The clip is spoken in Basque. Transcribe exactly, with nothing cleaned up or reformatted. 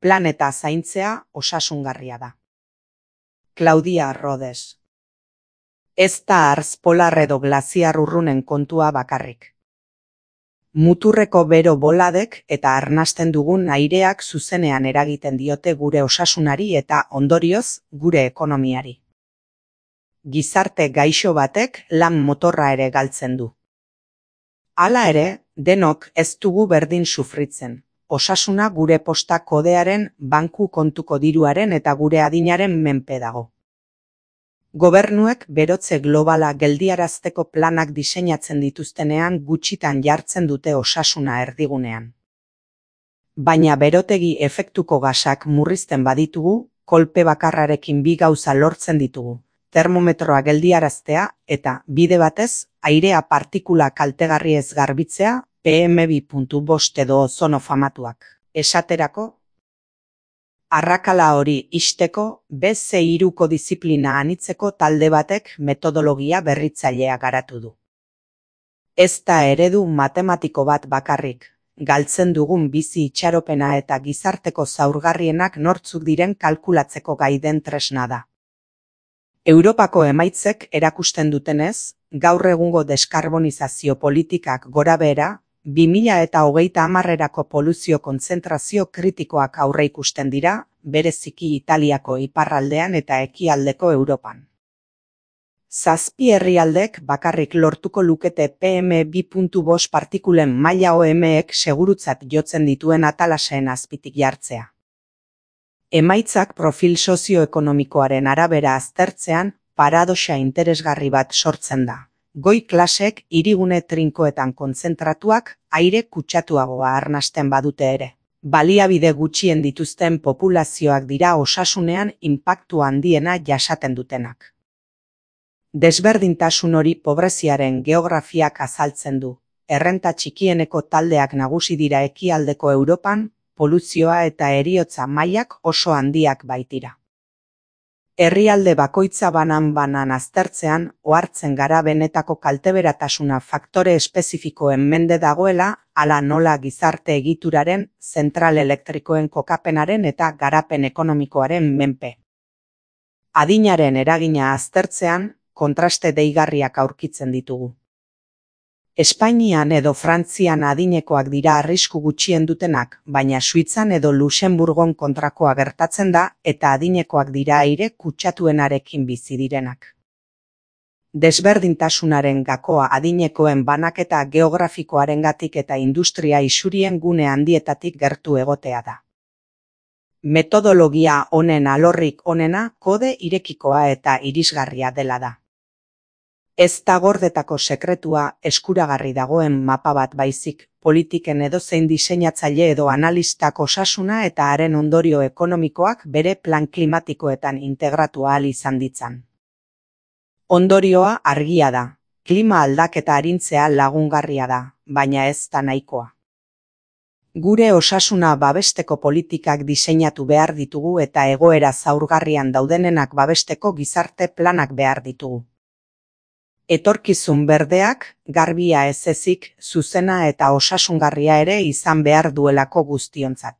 planeta zaintzea osasungarria da. Claudia Rodes. Ez da artz polar edo glaziar urrunen kontua bakarrik. Muturreko bero boladek eta arnasten dugun aireak zuzenean eragiten diote gure osasunari eta ondorioz gure ekonomiari. Gizarte gaixo batek lan motorra ere galtzen du. Hala ere, denok ez dugu berdin sufritzen. Osasuna gure posta kodearen, banku kontuko diruaren eta gure adinaren menpe dago. Gobernuek berotze globala geldiarazteko planak diseinatzen dituztenean gutxitan jartzen dute osasuna erdigunean. Baina berotegi efektuko gasak murrizten baditugu, kolpe bakarrarekin bi gauza lortzen ditugu. Termometroa geldiaraztea eta, bide batez, airea partikula kaltegarriez garbitzea, P M bi puntu bost edo ozono famatuak. Esaterako, arrakala hori ixteko, be ce hiruko disiplina anitzeko talde batek metodologia berritzailea garatu du. Ez da eredu matematiko bat bakarrik, galtzen dugun bizi itxaropena eta gizarteko zaurgarrienak nortzuk diren kalkulatzeko gai den tresna da. Europako emaitzek erakusten dutenez, gaur egungo deskarbonizazio politikak gorabehera, bi mila eta hogeita hamarrerako poluzio kontzentrazio kritikoak aurreikusten dira, bereziki Italiako iparraldean eta ekialdeko Europan. Zazpi herrialdek bakarrik lortuko lukete P M bi puntu bost partikulen maila O M-ek segurutzat jotzen dituen atalaseen azpitik jartzea. Emaitzak profil sozioekonomikoaren arabera aztertzean paradoxa interesgarri bat sortzen da. Goi klasek hirigune trinkoetan kontzentratuak aire kutsatuagoa arnasten badute ere. Baliabide gutxien dituzten populazioak dira osasunean inpaktu handiena jasaten dutenak. Desberdintasun hori pobreziaren geografiak azaltzen du. Errenta txikieneko taldeak nagusi dira ekialdeko Europan, poluzioa eta heriotza mailak oso handiak baitira. Herrialde bakoitza banan-banan aztertzean, ohartzen gara benetako kalteberatasuna faktore espezifikoen mende dagoela, hala nola gizarte egituraren, zentral elektrikoen kokapenaren eta garapen ekonomikoaren menpe. Adinaren eragina aztertzean, kontraste deigarriak aurkitzen ditugu. Espainian edo Frantzian adinekoak dira arrisku gutxien dutenak, baina Suitzan edo Luxemburgon kontrakoa gertatzen da eta adinekoak dira aire kutsatuenarekin bizi direnak. Desberdintasunaren gakoa adinekoen banaketa geografikoarengatik eta industria isurien gune handietatik gertu egotea da. Metodologia honen alorrik onena kode irekikoa eta irisgarria dela da. Ez da gordetako sekretua eskuragarri dagoen mapa bat baizik, politiken edozein diseinatzaile edo analistak osasuna eta haren ondorio ekonomikoak bere plan klimatikoetan integratu ahal izan ditzan. Ondorioa argia da, klima aldaketa arintzea lagungarria da, baina ez da nahikoa. Gure osasuna babesteko politikak diseinatu behar ditugu eta egoera zaurgarrian daudenenak babesteko gizarte planak behar ditugu. Etorkizun berdeak, garbia ez ezik, zuzena eta osasungarria ere izan behar duelako guztiontzat.